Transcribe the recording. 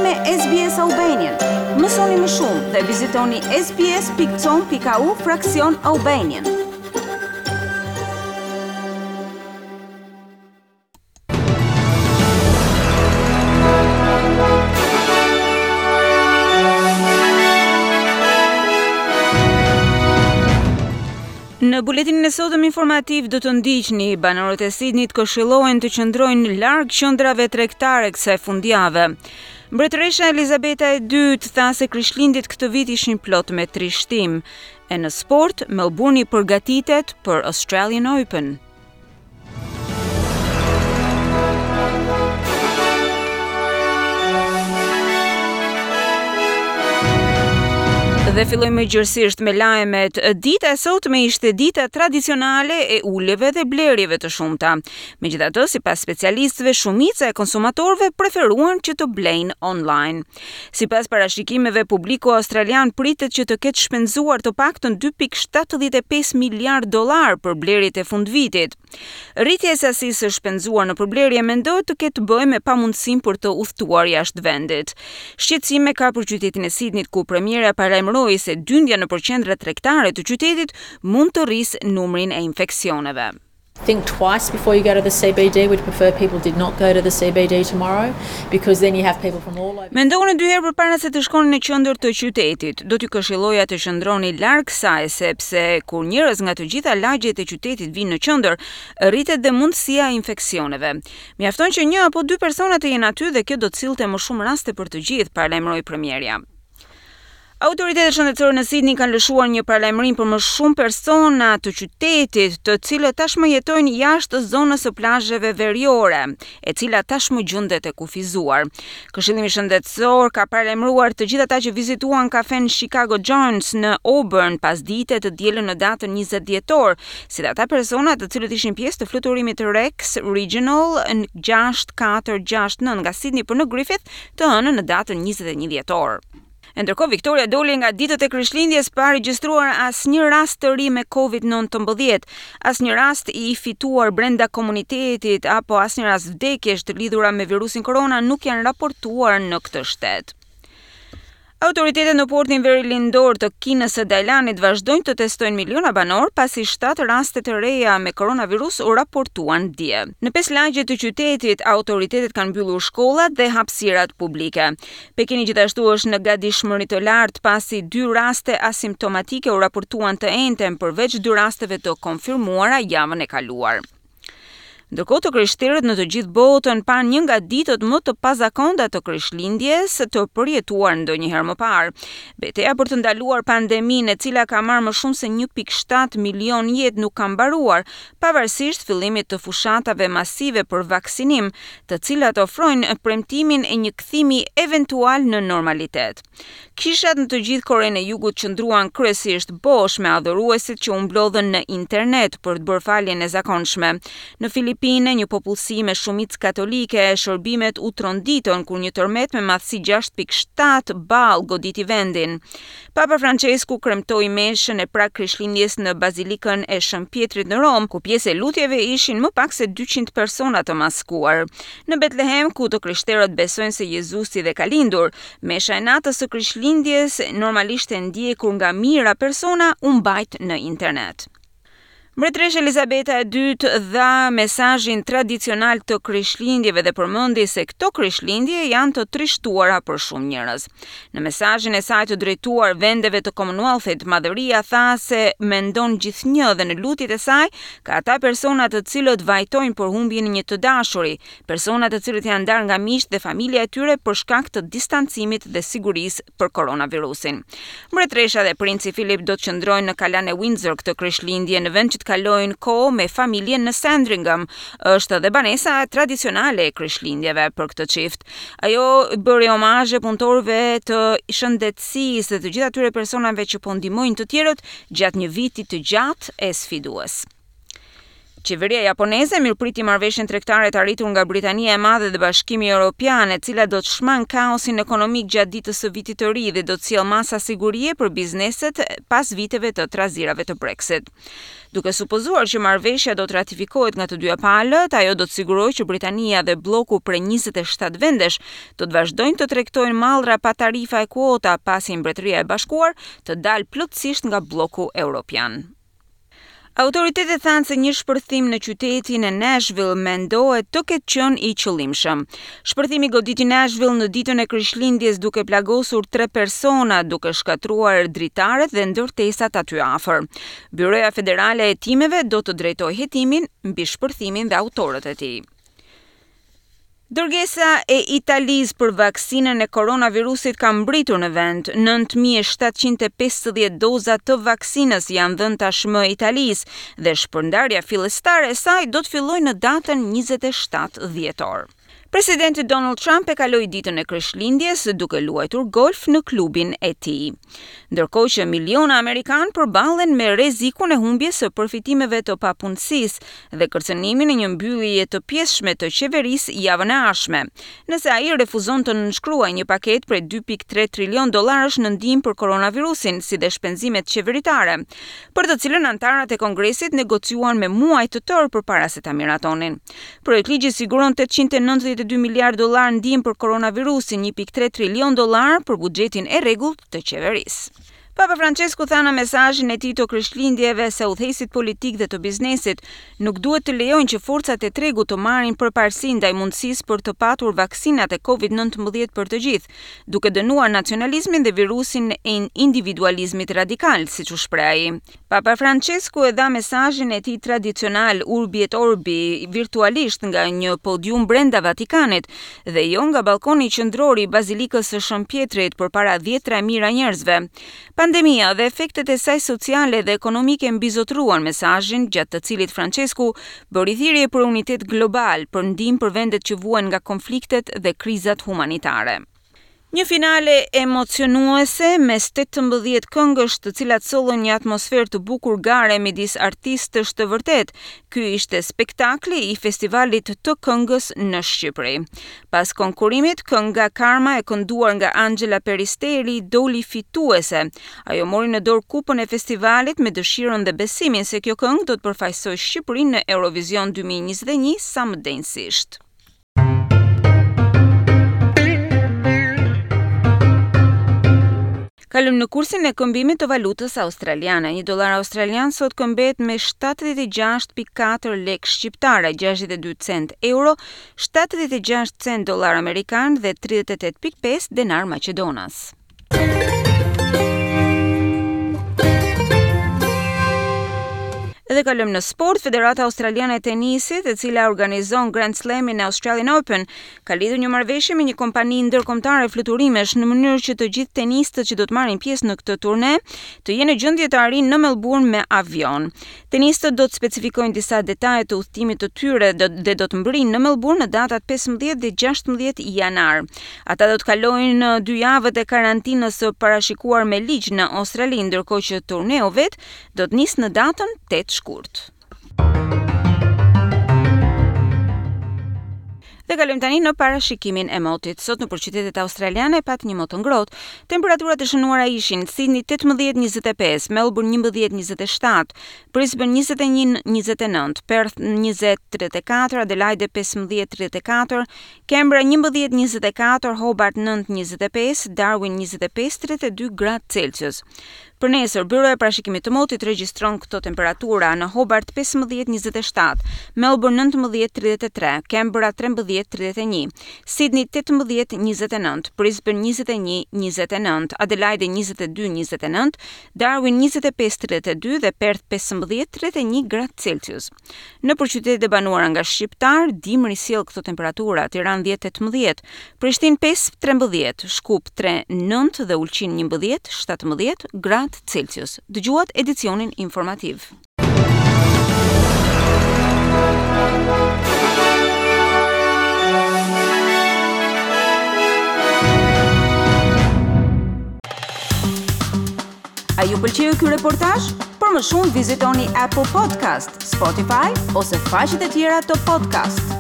me SBS Albanian. Mësoni më shumë dhe vizitoni sbs.com.au fraksion Albanian. Në buletinin e sotëm informativ do të ndiqni banorët e Sidnit këshillohen të qëndrojnë larg qendrave tregtare kësaj fundjave. Mbretëresha Elizabeta e II tha se Krishtlindjet këtë vit ishin plot me trishtim. E në sport, Melbourne përgatitet për Australian Open. Dhe fillojmë gjerësisht me lajmet. Dita e sotme ishte dita tradicionale e uljeve dhe blerjeve të shumta. Megjithatë, sipas specialistëve, shumica e konsumatorëve preferuan që të blejnë online. Sipas parashikimeve, publiku australian pritet që të ketë shpenzuar të paktën 2.75 miliardë dollarë për blerjet e fundvitit. Rritja e sasisë së shpenzuar në përblerje mendohet të ketë të bëjë me pamundësinë për të udhëtuar jashtë vendit. Shqetësime ka për qytetin e Sidnit, ku premierja paralajmëroi se dyndja nëpër qendrat tregtare të qytetit mund të rrisë numrin e infeksioneve. Think twice before you go to the CBD. We'd prefer people did not go to the CBD tomorrow because then you have people from all over. Mendoni dy herë përpara se të shkoni në qendër të qytetit. Do t'ju këshilloja të qëndroni larg saj sepse kur njerëz nga të gjitha lagjet e qytetit vijnë në qendër, rritet dhe mundësia e infeksioneve. Mjafton që një apo dy persona të jenë aty dhe kjo do të sillte më shumë raste për të gjithë, paralajmëroi premierja. Autoritetet shëndetësore në Sydney kanë lëshuar një paralajmërim për më shumë persona të qytetit, të cilët tashmë jetojnë jashtë zonës së plazheve veriore, e cila tashmë gjendet e kufizuar. Këshillimi Shëndetësor ka paralajmëruar të gjithë ata që vizituan kafen Chicago Jones në Auburn pasdite të dielën në datën 20 dhjetor, si dhe ata persona të cilët ishin pjesë të fluturimit Rex Regional 6469 nga Sydney për në Griffith të hënën në datën 21 dhjetor. E ndërkohë Victoria doli nga ditët e Krishtlindjes pa regjistruar asnjë rast të ri me Covid-19, asnjë rast i fituar brenda komunitetit apo asnjë rast vdekjesh të lidhura me virusin korona nuk janë raportuar në këtë shtet. Autoritetet në portin verilindor të Kinës së Dalianit vazhdojnë të testojnë miliona banorë pasi 7 raste të reja me koronavirus u raportuan dje. Në pesë lagje të qytetit, autoritetet kanë mbyllur shkollat dhe hapësirat publike. Pekini gjithashtu është në gatishmëri të lartë pasi dy raste asimptomatike u raportuan të enjten përveç dy rasteve të konfirmuara javën e kaluar. Ndërkohë të krishterët në të gjithë botën panë një nga ditët më të pazakonta të Krishtlindjes të përjetuar ndonjëherë më parë. Beteja për të ndaluar pandeminë, e cila ka marrë më shumë se 1.7 milion jetë nuk ka mbaruar, pavarësisht fillimit të fushatave masive për vaksinim, të cilat ofrojnë premtimin e një kthimi eventual në normalitet. Kishat në të gjithë Korenë e Jugut qëndruan kryesisht bosh me adhuruesit që u mblodhën në internet për të bërë faljen e zakonshme. Në Filipine, një popullsi me shumicë katolike, shërbimet u tronditën kur një tërmet me madhësi 6.7 ballë goditi vendin. Papa Françesku kremtoi meshën e prag Krishtlindjes në Bazilikën e Shën Pjetrit në Romë, ku pjesë e lutjeve ishin më pak se 200 persona të maskuar. Në Betlehem, ku të krishterët besojnë se Jezusi dhe ka lindur, mesha e natës së Krishtlindjes, normalisht e ndjekur nga mijëra persona, u mbajt në internet. Mbretëresha Elizabeta e II dha mesazhin tradicional të Krishtlindjeve dhe përmendi se këto Krishtlindje janë të trishtuara për shumë njerëz. Në mesazhin e saj të drejtuar vendeve të Commonwealth-it, Madhëria tha se mendon gjithnjë dhe në lutjet e saj ka ata persona të cilët vajtojnë për humbjen e një të dashuri, persona të cilët janë ndarë nga miqtë dhe familja e tyre për shkak të distancimit dhe sigurisë për koronavirusin. Mbretëresha dhe princi Philip do të qëndrojnë në kalanë e Windsor këtë Krishtlindje në vend që të kalojnë kohë me familjen në Sandringham. Është edhe banesa tradicionale e Krishtlindjeve për këtë çift. Ajo bëri omazhe punëtorëve të shëndetësisë dhe të gjithë atyre personave që po ndihmojnë të tjerët gjatë një viti të gjatë e sfidues. Qeveria japoneze mirëpriti marrëveshjen tregtare të arritur nga Britania e Madhe dhe Bashkimi Europian, e cila do të shmangë kaosin ekonomik gjatë ditës së Vitit të Ri dhe do të sjellë masa sigurie për bizneset pas viteve të trazirave të Brexit. Duke supozuar që marrëveshja do të ratifikohet nga të dyja palët, ajo do të sigurojë që Britania dhe blloku prej 27 vendesh do të vazhdojnë të tregtojnë mallra pa tarifa e kuota pasi Mbretëria e Bashkuar të dalë plotësisht nga blloku europian. Autoritetet thanë se një shpërthim në qytetin e Nashville mendohet të ketë qenë i qëllimshëm. Shpërthimi goditi Nashville në ditën e Krishtlindjes duke plagosur tre persona, duke shkatërruar dritaret dhe ndërtesat aty afër. Byroja Federale e Hetimeve do të drejtojë hetimin mbi shpërthimin dhe autorët e tij. Dërgesa e Italisë për vaksinën e koronavirusit ka mbërritur në vend. 9750 doza të vaksinës janë dhënë tashmë Italisë dhe shpërndarja fillestare e saj do të fillojë në datën 27 dhjetor. Presidenti Donald Trump e kaloi ditën e Krishtlindjes duke luajtur golf në klubin e tij. Ndërkohë që miliona amerikanë përballen me rrezikun e humbjes së përfitimeve të papunësisë dhe kërcënimin e një mbylljeje të pjesshme të qeverisë javën e ardhshme, nëse ai refuzon të nënshkruajë një paketë prej 2.3 trilion dollarësh në ndihmë për koronavirusin, si dhe shpenzimet qeveritare, për të cilën anëtarët e Kongresit negociuan me muaj të tërë përpara se ta miratonin. Projektligji siguron 892 miliardë dollarë ndihmë për koronavirusin, 1.3 trilion dollarë për buxhetin e rregullt të qeverisë. Papa Francesku tha në mesazhin e tij të Krishtlindjeve se udhëheqësit politikë dhe të biznesit nuk duhet të lejojnë që forcat e tregut të marrin përparësi ndaj mundësisë për të patur vaksinat e Covid-19 për të gjithë, duke dënuar nacionalizmin dhe virusin e individualizmit radikal, siç u shpreh ai. Papa Francesku e dha mesazhin e tij tradicional Urbi et Orbi virtualisht nga një podium brenda Vatikanit dhe jo nga ballkoni qendror i Bazilikës së Shën Pjetrit përpara dhjetëra mijëra njerëzve. Pandemia dhe efektet e saj sociale dhe ekonomike mbizotëruan mesazhin, gjatë të cilit Francesku bëri thirrje për unitet global, për ndihmë për vendet që vuajnë nga konfliktet dhe krizat humanitare. Një finale emocionuese mes 18 këngësh, të cilat sollën një atmosferë të bukur gare midis artistësh të vërtetë. Ky ishte spektakli i festivalit të këngës në Shqipëri. Pas konkurrimit, kënga Karma e kënduar nga Anxhela Peristeri doli fituese. Ajo mori në dorë kupën e festivalit me dëshirën dhe besimin se kjo këngë do të përfaqësojë Shqipërinë në Eurovision 2021 sa më denjësisht. Kalojmë në kursin e këmbimit të valutës australiane. Një dollar australian sot këmbehet me 76.4 lekë shqiptare, 62 cent euro, 76 cent dollar amerikan dhe 38.5 denar maqedonas. Dhe kalojmë në sport, Federata Australiane e Tenisit, e cila organizon Grand Slamin e Australian Open, ka lidhur një marrëveshje me një kompani ndërkombëtare fluturimesh në mënyrë që të gjithë tenistët që do të marrin pjesë në këtë turne të jenë në gjendje të arrijnë në Melbourne me avion. Tenistët do të specifikojnë disa detaje të udhëtimit të tyre dhe do të mbërrijnë në Melbourne në datat 15 dhe 16 janar. Ata do të kalojnë dy javët e karantinës së parashikuar me ligj në Australi, ndërkohë që turneu vetë do të nisë në datën 8 shkurt. Dhe kalojmë tani në parashikimin e motit. Sot nëpër qytetet australiane pati një mot të ngrohtë. Temperaturat e shënuara ishin Sydney 18-25, Melbourne 11-27, Brisbane 21-29, Perth 20-34, Adelaide 15-34, Canberra 11-24, Hobart 9-25, Darwin 25-32 gradë Celsius. Për nesër, Byroja e Parashikimit të Motit regjistron këto temperatura në Hobart 15-27, Melbourne 19-33, Canberra 13-31, Sydney 18-29, Brisbane 21-29, Adelaide 22-29, Darwin 25-32 dhe Perth 15-31 gradë Celsius. Nëpër qytetet e banuara nga shqiptarë, dimri sjell këto temperatura, Tiranë 10 18, Prishtinë 5 13, Shkup 3 9 dhe Ulqin 11 17 gradë Celsius. Dëgjuat edicionin informativ. A A ju pëlqeu ky reportazh? Për më shumë vizitoni Apple Podcast, Spotify ose faqet e tjera të podcast.